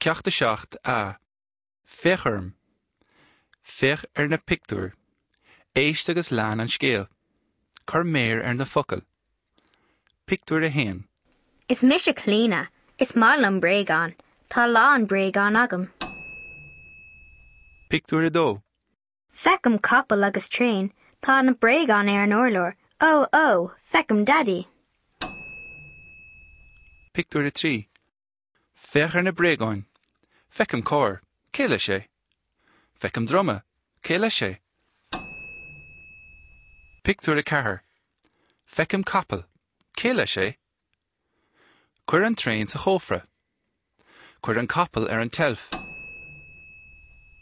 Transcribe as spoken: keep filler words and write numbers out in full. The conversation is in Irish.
Ceacht a seacht A. Féach orm. Féach ar na pictiúir. Éist agus lean an scéal. Cuir méar ar na focail. Pictiúr a haon. Is mise Clíona, is maith liom bréagáin, Tá a lán bréagán agam. Pictiúr a dó. Feicim capall agus traein, tá na bréagáin ar an urlár, ó ó, feicim Daidí. Pictiúr a trí. Féach ar na bréagáin. Feicim carr, cé leis é? Feicim druma, cé leis é? Pictiúr a ceathair. Feicim capall, cé leis é? Cuir an traein sa chófra. Cuir an capall ar an tseilf.